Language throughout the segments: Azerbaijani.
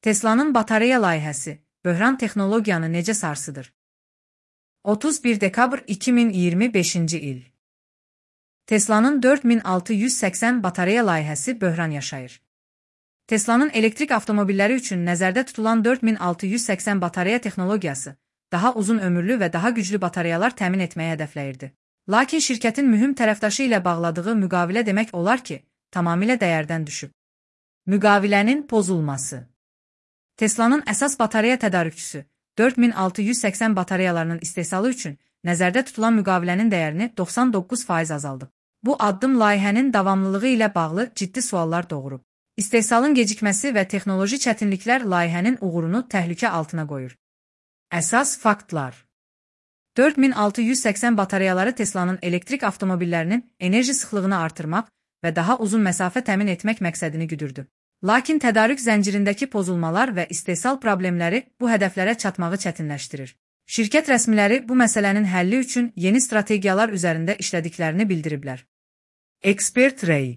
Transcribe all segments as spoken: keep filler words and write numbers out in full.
Tesla'nın batareya layihəsi, böhran texnologiyanı necə sarsıdır? otuz bir dekabr iki min iyirmi beşinci il. Tesla'nın dörd min altı yüz səksən batareya layihəsi böhran yaşayır. Tesla'nın elektrik avtomobilləri üçün nəzərdə tutulan dörd min altı yüz səksən batareya texnologiyası, daha uzun ömürlü və daha güclü batareyalar təmin etməyə hədəfləyirdi. Lakin şirkətin mühüm tərəfdaşı ilə bağladığı müqavilə demək olar ki, tamamilə dəyərdən düşüb. Müqavilənin pozulması. Tesla'nın əsas batareya tədarükçüsü, dörd min altı yüz səksən batareyalarının istehsalı üçün nəzərdə tutulan müqavilənin dəyərini doxsan doqquz faiz azaldıb. Bu addım layihənin davamlılığı ilə bağlı ciddi suallar doğurub. İstehsalın gecikməsi və texnoloji çətinliklər layihənin uğurunu təhlükə altına qoyur. Əsas faktlar. dörd min altı yüz səksən batareyaları Tesla'nın elektrik avtomobillərinin enerji sıxlığını artırmaq və daha uzun məsafə təmin etmək məqsədini güdürdü. Lakin tədarük zəncirindəki pozulmalar və istehsal problemləri bu hədəflərə çatmağı çətinləşdirir. Şirkət rəsmiləri bu məsələnin həlli üçün yeni strategiyalar üzərində işlədiklərini bildiriblər. Ekspert Ray.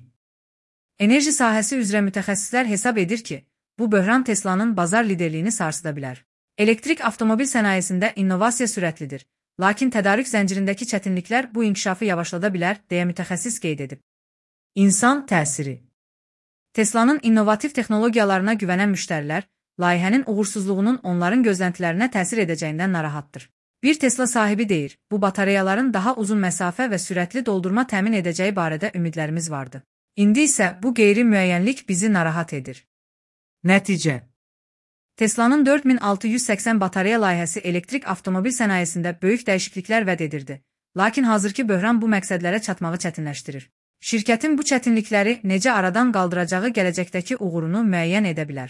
Enerji sahəsi üzrə mütəxəssislər hesab edir ki, bu böhran Tesla'nın bazar liderliyini sarsıda bilər. Elektrik avtomobil sənayesində innovasiya sürətlidir, lakin tədarük zəncirindəki çətinliklər bu inkişafı yavaşlada bilər, deyə mütəxəssis qeyd edib. İnsan təsiri. Tesla'nın innovativ texnologiyalarına güvənən müştərilər, layihənin uğursuzluğunun onların gözləntilərinə təsir edəcəyindən narahatdır. Bir Tesla sahibi deyir, bu batareyaların daha uzun məsafə və sürətli doldurma təmin edəcəyi barədə ümidlərimiz vardı. İndi isə bu qeyri-müəyyənlik bizi narahat edir. Nəticə. Tesla'nın dörd min altı yüz səksən batareya layihəsi elektrik avtomobil sənayesində böyük dəyişikliklər vəd edirdi. Lakin hazırki böhran bu məqsədlərə çatmağı çətinləşdirir. Şirkətin bu çətinlikləri necə aradan qaldıracağı gələcəkdəki uğurunu müəyyən edə bilər.